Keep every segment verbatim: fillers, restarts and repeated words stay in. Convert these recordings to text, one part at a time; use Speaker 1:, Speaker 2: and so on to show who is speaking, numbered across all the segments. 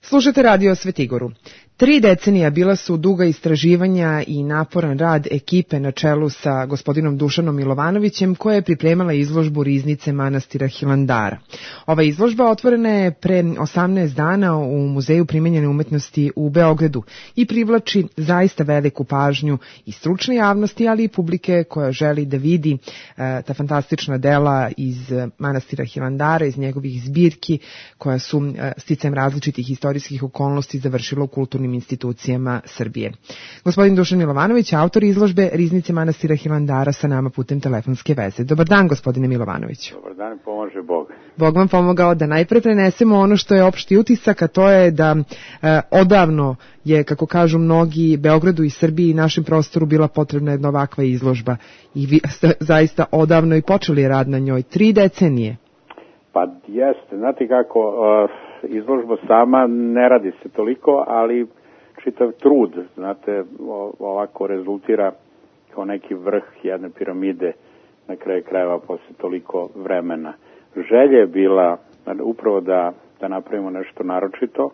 Speaker 1: Slušate Radio Svetigoru. Tri decenija bila su duga istraživanja i naporan rad ekipe na čelu sa gospodinom Dušanom Milovanovićem, koja je pripremala izložbu Riznice manastira Hilandara. Ova izložba otvorena je pre osamnaest dana u Muzeju primenjene umetnosti u Beogradu i privlači zaista veliku pažnju i stručne javnosti, ali i publike koja želi da vidi e, ta fantastična dela iz manastira Hilandara, iz njegovih zbirki, koja su e, sticajem različitih istorijskih okolnosti završila u kulturnim institucijama Srbije. Gospodin Dušan Milovanović, autor izložbe Riznice manastira Hilandara, sa nama putem telefonske veze. Dobar dan, gospodine Milovanoviću.
Speaker 2: Dobar dan, pomože Bog.
Speaker 1: Bog vam pomogao da najpre prenesemo ono što je opšti utisak, a to je da e, odavno je, kako kažu mnogi, Beogradu i Srbiji i našem prostoru bila potrebna jedna ovakva izložba. I vi ste zaista odavno i počeli rad na njoj. Tri decenije.
Speaker 2: Pa jeste, znate kako, uh, izložba sama ne radi se toliko, ali čitav trud, znate, ovako rezultira kao neki vrh jedne piramide na kraju krajeva posle toliko vremena. Želja je bila upravo da, da napravimo nešto naročito.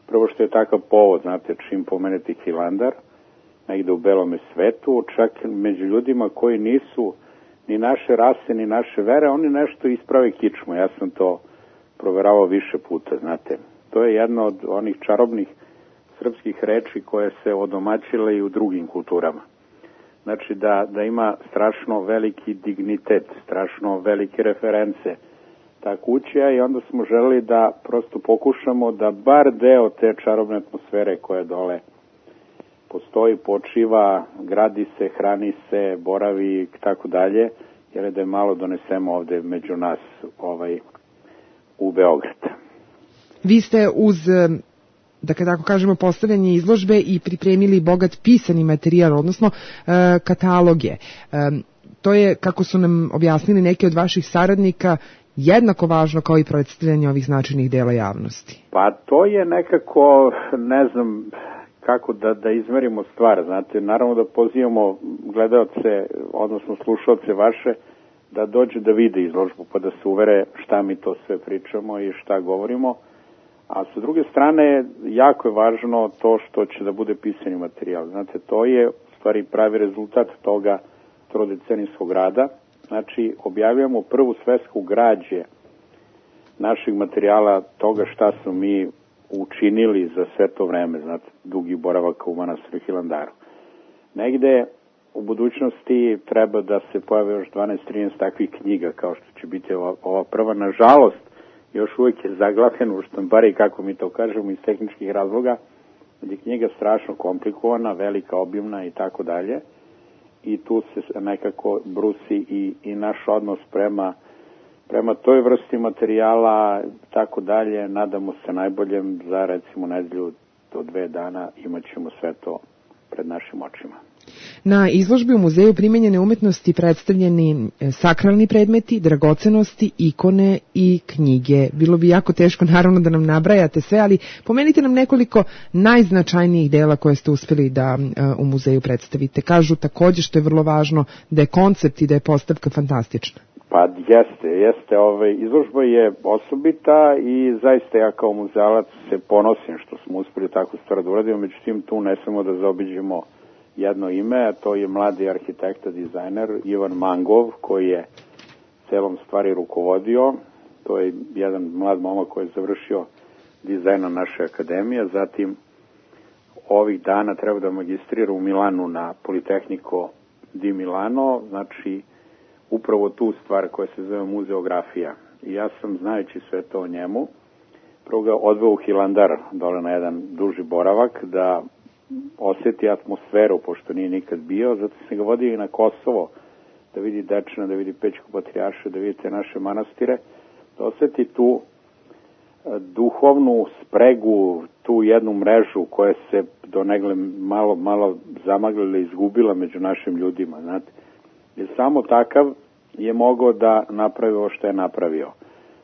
Speaker 2: Prvo što je takav povod, znate, čim pomenete Hilandar, negde u belome svetu, čak među ljudima koji nisu ni naše rase, ni naše vere, oni nešto isprave kičmu. Ja sam to proveravao više puta, znate. To je jedna od onih čarobnih srpskih reči koje se odomaćile i u drugim kulturama. Znači da, da ima strašno veliki dignitet, strašno velike reference ta kuća, i onda smo želeli da prosto pokušamo da bar deo te čarobne atmosfere koja dole postoji, počiva, gradi se, hrani se, boravi i tako dalje, jer da je malo donesemo ovde među nas ovaj, u Beograd.
Speaker 1: Vi ste uz, da kada tako kažemo, postavljanje izložbe i pripremili bogat pisani materijal, odnosno e, kataloge. E, to je, kako su nam objasnili neki od vaših saradnika, jednako važno kao i predstavljanje ovih značajnih dela javnosti.
Speaker 2: Pa to je nekako, ne znam kako da, da izmerimo stvar, znate, naravno da pozivamo gledaoce, odnosno slušaoce vaše, da dođu da vide izložbu, pa da se uvere šta mi to sve pričamo i šta govorimo. A sa druge strane, jako je važno to što će da bude pisani materijal. Znate, to je u stvari pravi rezultat toga trodecenijskog rada. Znači, objavljamo prvu svesku građe naših materijala, toga šta smo mi učinili za sve to vreme, znate, dugi boravaka u manastiru Hilandaru. Negde u budućnosti treba da se pojave još dvanaest trinaest takvih knjiga, kao što će biti ova, ova prva. Nažalost, još uvijek je zaglavljena u štampari, kako mi to kažemo, iz tehničkih razloga, gdje je knjiga strašno komplikovana, velika, obimna i tako dalje. I tu se nekako brusi i, i naš odnos prema, prema toj vrsti materijala, tako dalje. Nadamo se najboljem, za recimo nedelju do dve dana imat ćemo sve to pred našim očima.
Speaker 1: Na izložbi u Muzeju primenjene umetnosti predstavljeni sakralni predmeti, dragocenosti, ikone i knjige. Bilo bi jako teško, naravno, da nam nabrajate sve, ali pomenite nam nekoliko najznačajnijih dela koje ste uspeli da u muzeju predstavite. Kažu takođe, što je vrlo važno, da je koncept i da je postavka fantastična.
Speaker 2: Pa jeste, jeste. Ovaj, izložba je osobita i zaista ja kao muzealac se ponosim što smo uspeli takvu stvar da uradimo, međutim tu ne smemo da zaobiđemo jedno ime, a to je mladi arhitekta, dizajner Ivan Mangov, koji je celom stvari rukovodio. To je jedan mlad momak koji je završio dizajn na naše akademije, zatim ovih dana treba da magistrira u Milanu na Politehnico di Milano, znači upravo tu stvar koja se zove muzeografija. I ja sam, znajući sve to o njemu, prvo ga odveo u Hilandar, dole na jedan duži boravak, da osjeti atmosferu, pošto nije nikad bio, zato sam ga vodio i na Kosovo, da vidi Dečana, da vidi Pećku patrijaršiju, da vidite naše manastire, da osjeti tu duhovnu spregu, tu jednu mrežu koja se do negle malo, malo zamaglila i izgubila među našim ljudima, znate. Jer samo takav je mogao da napravi ovo što je napravio.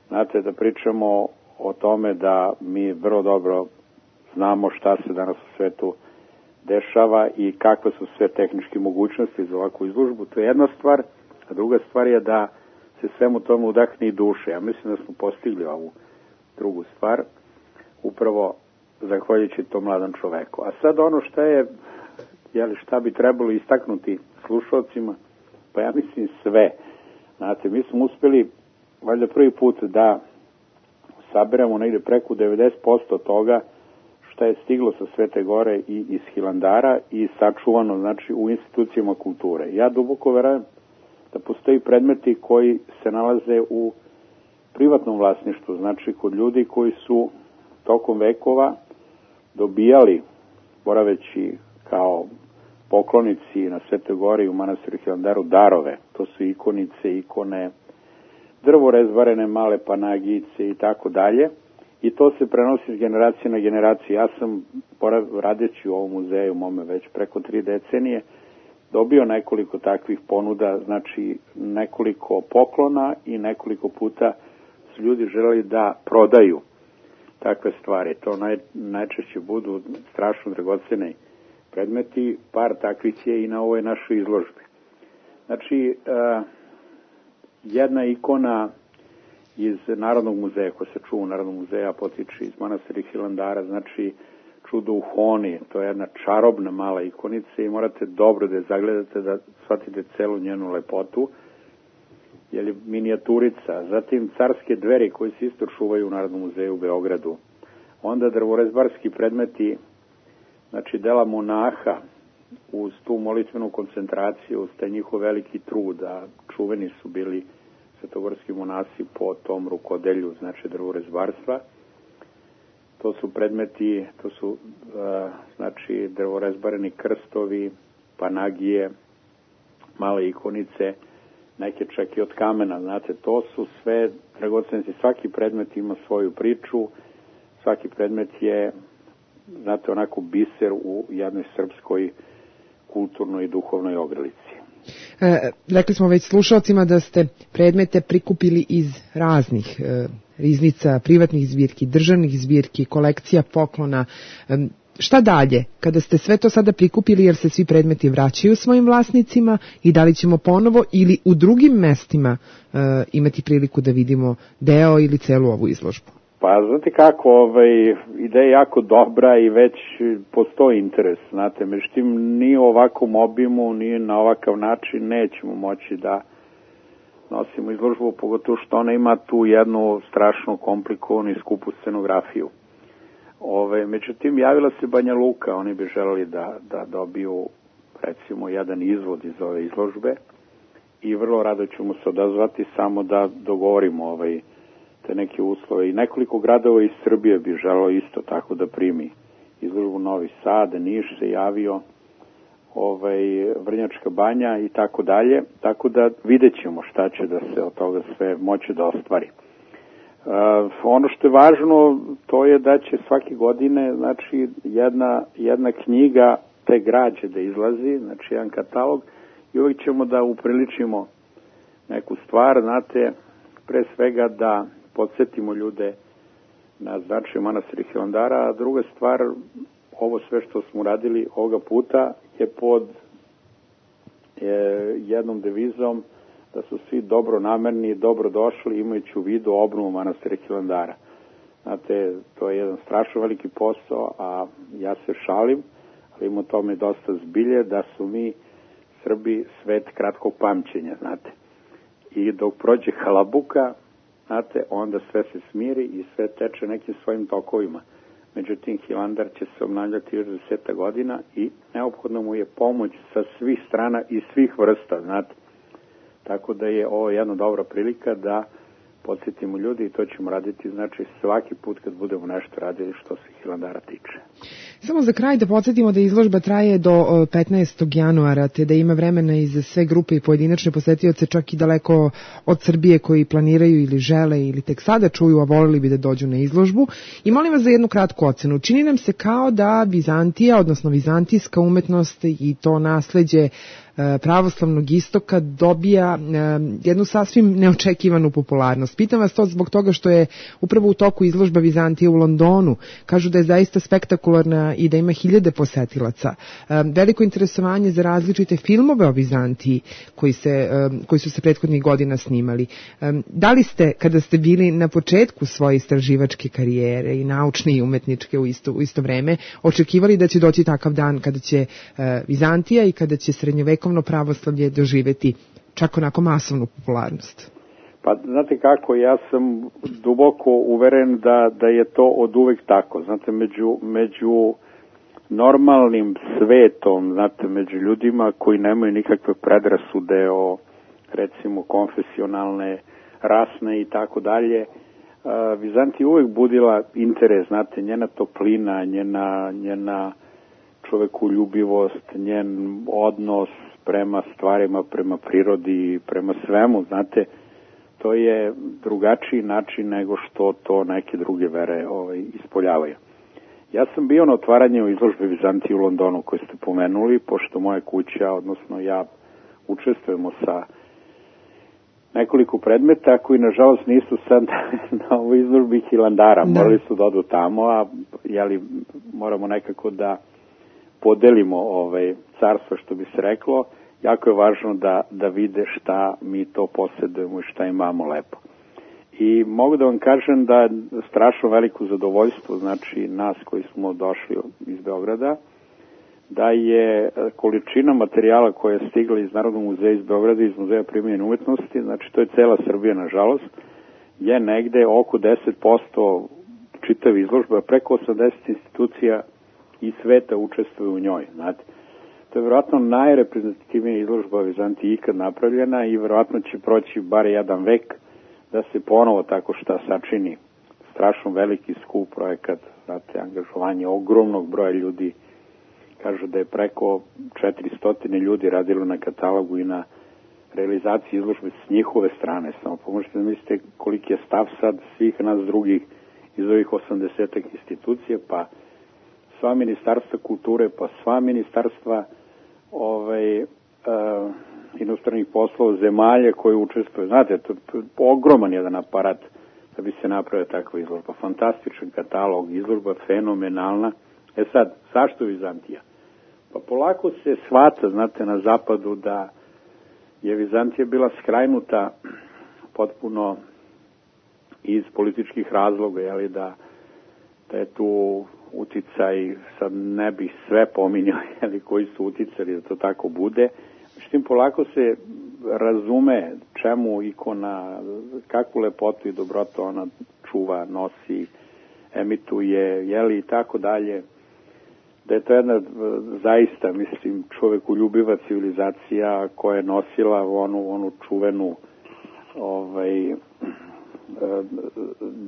Speaker 2: Znate, da pričamo o tome da mi vrlo dobro znamo šta se danas u svetu dešava i kakve su sve tehničke mogućnosti za ovakvu izložbu. To je jedna stvar, a druga stvar je da se svemu tomu udahne i duše. Ja mislim da smo postigli ovu drugu stvar. Upravo zahvaljujući tom mladom čoveku. A sad ono šta je, jeli, šta bi trebalo istaknuti slušalcima, pa ja mislim sve. Znate, mi smo uspeli, valjda prvi put da saberemo negde preko devedeset posto toga šta je stiglo sa Svete Gore i iz Hilandara i sačuvano, znači, u institucijama kulture. Ja duboko verujem da postoji predmeti koji se nalaze u privatnom vlasništvu, znači kod ljudi koji su tokom vekova dobijali, boraveći kao poklonici na Svetoj Gori u manastiru Hilandaru, darove. To su ikonice, ikone, drvorezbarene male panagice i tako dalje. I to se prenosi iz generacije na generaciju. Ja sam, radeći u ovom muzeju, mome već preko tri decenije, dobio nekoliko takvih ponuda, znači nekoliko poklona i nekoliko puta su ljudi želeli da prodaju takve stvari. To naj, najčešće budu strašno dragoceni predmeti, par takvih je i na ovoj našoj izložbi. Znači, uh, jedna ikona iz Narodnog muzeja, koja se čuva u Narodnog muzeja, potiče iz manastira Hilandara, znači čudo u Honi, to je jedna čarobna mala ikonica i morate dobro da je zagledate, da shvatite celu njenu lepotu, jer je minijaturica. Zatim carske dveri koje se isto čuvaju u Narodnom muzeju u Beogradu. Onda drvorezbarski predmeti, znači dela monaha, uz tu molitvenu koncentraciju, uz taj njihov veliki trud, a čuveni su bili svetogorski monasi po tom rukodelju, znači drvorezbarstva. To su predmeti, to su uh, znači drvorezbareni krstovi, panagije, male ikonice, neke čak i od kamena, znate, to su sve dragocenci. Svaki predmet ima svoju priču, svaki predmet je, znate, onako biser u jednoj srpskoj kulturnoj i duhovnoj ogrlici.
Speaker 1: E, rekli smo već slušalcima da ste predmete prikupili iz raznih e, riznica, privatnih zbirki, državnih zbirki, kolekcija poklona. E, šta dalje? Kada ste sve to sada prikupili, jer se svi predmeti vraćaju svojim vlasnicima, i da li ćemo ponovo ili u drugim mestima e, imati priliku da vidimo deo ili celu ovu izložbu?
Speaker 2: Pa, znate kako, ovaj, ideja je jako dobra i već postoji interes, znate, međutim, ni u ovakvom obimu, ni na ovakav način nećemo moći da nosimo izložbu, pogotovo što ona ima tu jednu strašno komplikovanu i skupu scenografiju. Ove, međutim, javila se Banja Luka, oni bi želeli da, da dobiju, recimo, jedan izvod iz ove izložbe i vrlo rado ćemo se odazvati, samo da dogovorimo ovaj te neke uslove. I nekoliko gradova iz Srbije bi želelo isto tako da primi izložbu. Novi Sad, Niš se javio, ovaj, Vrnjačka Banja i tako dalje. Tako da vidjet ćemo šta će da se od toga sve moći da ostvari. Uh, ono što je važno, to je da će svake godine, znači, jedna, jedna knjiga te građe da izlazi, znači jedan katalog, i uvijek ćemo da upriličimo neku stvar, znate, pre svega da podsjetimo ljude na značaj manastira Hilandara, a druga stvar, ovo sve što smo radili ovoga puta je pod je, jednom devizom da su svi dobro namerni i dobro došli, imajući u vidu obnovu manastira Hilandara. Znate, to je jedan strašno veliki posao, a ja se šalim, ali ima tome dosta zbilje, da su mi Srbi svet kratkog pamćenja, znate. I dok prođe halabuka, znate, onda sve se smiri i sve teče nekim svojim tokovima. Međutim, Hilandar će se obnavljati još deseta godina i neophodno mu je pomoć sa svih strana i svih vrsta, znate. Tako da je ovo jedna dobra prilika da podsjetimo ljudi i to ćemo raditi, znači, svaki put kad budemo nešto radili što se Hilandara tiče.
Speaker 1: Samo za kraj da podsjetimo da izložba traje do petnaestog januara, te da ima vremena i za sve grupe i pojedinačne posetioce, čak i daleko od Srbije, koji planiraju ili žele ili tek sada čuju, a volili bi da dođu na izložbu. I molim vas za jednu kratku ocenu. Čini nam se kao da Vizantija, odnosno vizantijska umetnost i to nasleđe pravoslavnog istoka dobija jednu sasvim neočekivanu popularnost. Pitam vas to zbog toga što je upravo u toku izložba Vizantije u Londonu. Kažu da je zaista spektakularna i da ima hiljade posetilaca. Veliko interesovanje za različite filmove o Vizantiji koji, se, koji su se prethodnih godina snimali. Da li ste, kada ste bili na početku svoje istraživačke karijere i naučne i umetničke u isto, u isto vreme, očekivali da će doći takav dan kada će Vizantija i kada će srednjovekovno pravoslavlje doživeti čak onako masovnu popularnost?
Speaker 2: Pa, znate kako, ja sam duboko uveren da, da je to od uvek tako. Znate, među, među normalnim svetom, znate, među ljudima koji nemaju nikakve predrasude o, recimo, konfesionalne, rasne i tako dalje, Vizantija uvek budila interes, znate, njena toplina, njena, njena čovekoljubivost, njen odnos prema stvarima, prema prirodi, prema svemu, znate, to je drugačiji način nego što to neke druge vere ovaj, ispoljavaju. Ja sam bio na otvaranju izložbe Vizantije u Londonu koju ste pomenuli, pošto moja kuća, odnosno ja, učestvujemo sa nekoliko predmeta koji nažalost nisu sad na ovoj izložbi Hilandara. Da. Morali su da odu tamo, a jeli, moramo nekako da podelimo ovaj, carstvo, što bi se reklo. Jako je važno da, da vide šta mi to posjedujemo i šta imamo lepo. I mogu da vam kažem da je strašno veliko zadovoljstvo, znači nas koji smo došli iz Beograda, da je količina materijala koja je stigla iz Narodnog muzeja iz Beograda i iz Muzeja primenjene umetnosti, znači to je cela Srbija, nažalost, je negde oko deset posto čitave izložbe, preko osamdeset institucija i sveta učestvuju u njoj, znate. To je vjerojatno najreprezentativnija izložba Vizantije ikad napravljena i vjerojatno će proći bar jedan vek da se ponovo tako šta sačini. Strašno veliki skup projekat, znate, angažovanje ogromnog broja ljudi. Kažu da je preko četiristo ljudi radilo na katalogu i na realizaciji izložbe s njihove strane. Samo pomožete da mislite koliki je stav sad svih nas drugih iz ovih osamdesetak institucija, pa sva ministarstva kulture, pa sva ministarstva ovaj, uh, inostranih poslova zemalja koje učestvuju. Znate, to je ogroman jedan aparat da bi se napravila takva izložba. Fantastičan katalog, izložba fenomenalna. E sad, zašto Vizantija? Pa polako se shvata, znate, na zapadu da je Vizantija bila skrajnuta potpuno iz političkih razloga, jeli, da, da je tu uticaj, sad ne bih sve pominjao, jeli, koji su uticali da to tako bude. Međutim, polako se razume čemu ikona, kakvu lepotu i dobrotu ona čuva, nosi, emituje, jeli, i tako dalje. Da je to jedna zaista, mislim, čovekoljubiva civilizacija koja je nosila onu, onu čuvenu ovaj,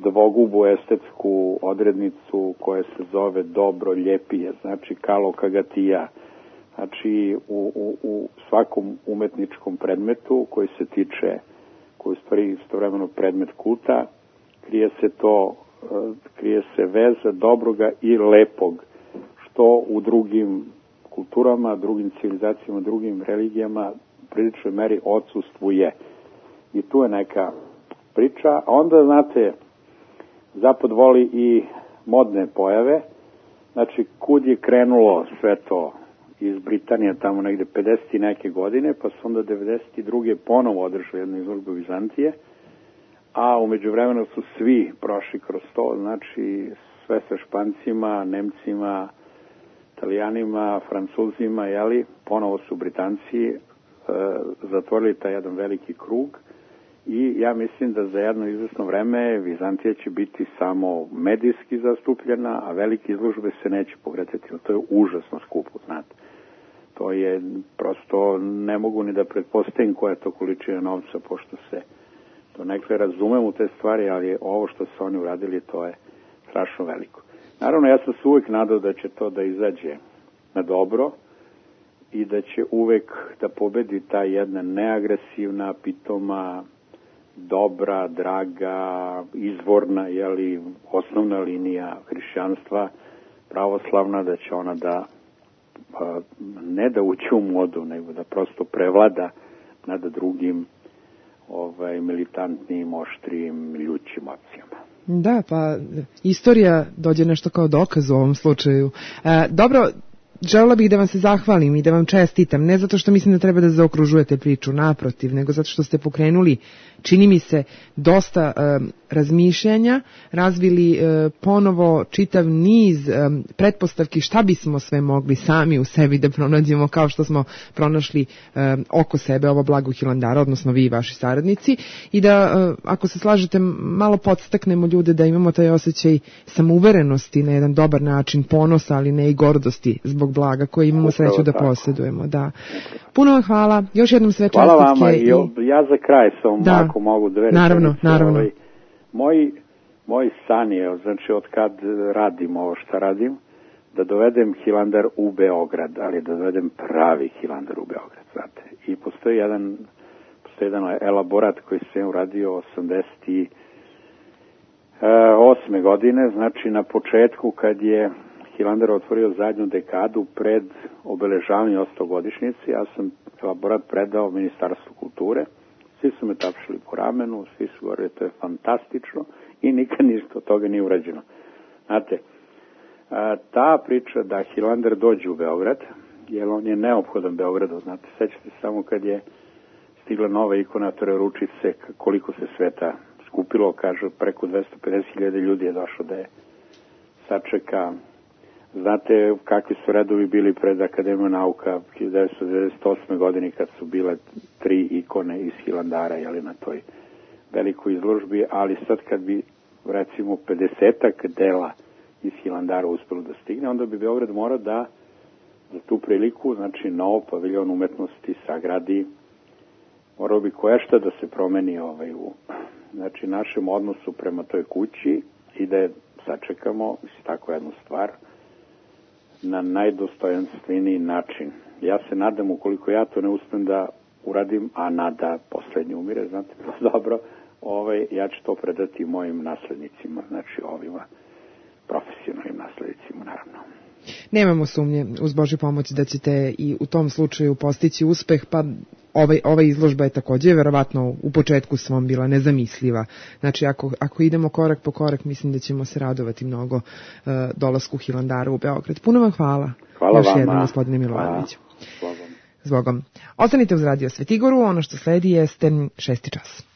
Speaker 2: dvogubu estetsku odrednicu koja se zove dobro, ljepije, znači kalo kagatija. Znači u, u, u svakom umetničkom predmetu koji se tiče, koji je stvari istovremeno predmet kulta, krije se to, krije se veza dobroga i lepog, što u drugim kulturama, drugim civilizacijama, drugim religijama u priličnoj meri odsustvuje. I tu je neka priča. A onda, znate, Zapad voli i modne pojave. Znači, kud je krenulo sve to iz Britanije, tamo negde pedeset i neke godine, pa su onda devedeset druge ponovo održali jednu izložbu Vizantije, a umeđu vremenu su svi prošli kroz to, znači sve sa Špancima, Nemcima, Italijanima, Francuzima, jeli, ponovo su Britanci e, zatvorili taj jedan veliki krug i ja mislim da za jedno izvesno vreme Vizantija će biti samo medijski zastupljena, a velike izložbe se neće pokretati. To je užasno skupo, znate. To je prosto, ne mogu ni da pretpostavim koja je to količina novca, pošto se to nekle razumem u te stvari, ali ovo što su oni uradili, to je strašno veliko. Naravno, ja sam se uvek nadao da će to da izađe na dobro i da će uvek da pobedi ta jedna neagresivna, pitoma, dobra, draga, izvorna, jeli, osnovna linija hrišćanstva, pravoslavna, da će ona da ne da uđe u modu, nego da prosto prevlada nad drugim ovaj, militantnim, oštrijim, ljućim opcijama.
Speaker 1: Da, pa istorija dođe nešto kao dokaz u ovom slučaju. E, dobro, želela bih da vam se zahvalim i da vam čestitam, ne zato što mislim da treba da zaokružujete priču, naprotiv, nego zato što ste pokrenuli, čini mi se, dosta e, razmišljanja, razvili e, ponovo čitav niz e, pretpostavki šta bismo sve mogli sami u sebi da pronađemo, kao što smo pronašli e, oko sebe ovo blago Hilandara, odnosno vi i vaši saradnici, i da, e, ako se slažete, malo podstaknemo ljude da imamo taj osjećaj samouverenosti na jedan dobar način, ponosa, ali ne i gordosti zbog blaga koje imamo sreću da posjedujemo. Da. Puno vam hvala, još jednom sve čestitke.
Speaker 2: Hvala vama i ja za kraj sam da. Ako mogu dve
Speaker 1: naravno,
Speaker 2: rečenice,
Speaker 1: naravno.
Speaker 2: Ovaj, moj, moj san je, znači od kad radim ovo što radim, da dovedem Hilandar u Beograd, ali da dovedem pravi Hilandar u Beograd, znate. I postoji jedan, postoji jedan elaborat koji sam uradio osamdeset osme godine, znači na početku kad je Hilandar otvorio zadnju dekadu pred obeležavanje stogodišnjice, ja sam elaborat predao Ministarstvu kulture, svi su me tapšili po ramenu, svi su govorili to je fantastično i nikad ništa od toga nije urađeno. Znate, ta priča da Hilandar dođe u Beograd, jer on je neophodan Beogradu, znate, sećate samo kad je stigla nova ikona Trojeručice, koliko se sveta skupilo, kaže, preko dvesta pedeset hiljada ljudi je došlo da je sačeka. Znate kakvi su redovi bili pred Akademijom nauka hiljadu devetsto devedeset osme godine kad su bile tri ikone iz Hilandara, jeli, na toj velikoj izložbi, ali sad kad bi recimo pedesetak dela iz Hilandara uspelo da stigne, onda bi Beograd morao da za tu priliku, znači nov paviljon umetnosti sagradi, morao bi koješta da se promeni ovaj, u znači, našem odnosu prema toj kući i da je sačekamo, mislim, tako jednu stvar, na najdostojanstveniji način. Ja se nadam, ukoliko ja to ne uspem da uradim, a nada poslednji umire, znate, dobro, ovaj, ja ću to predati mojim naslednicima, znači ovima profesionalnim naslednicima, naravno.
Speaker 1: Nemamo sumnje, uz Božju pomoć, da ćete i u tom slučaju postići uspeh, pa ovaj, ova izložba je također verovatno u početku svom bila nezamisliva. Znači, ako, ako idemo korak po korak, mislim da ćemo se radovati mnogo uh, dolasku Hilandara u Beograd. Puno vam hvala.
Speaker 2: Hvala
Speaker 1: još
Speaker 2: vama.
Speaker 1: jednom, gospodine Milovanoviću.
Speaker 2: Hvala.
Speaker 1: Zbogom. Ostanite uz Radio Svetigoru, ono što sledi jeste šesti čas.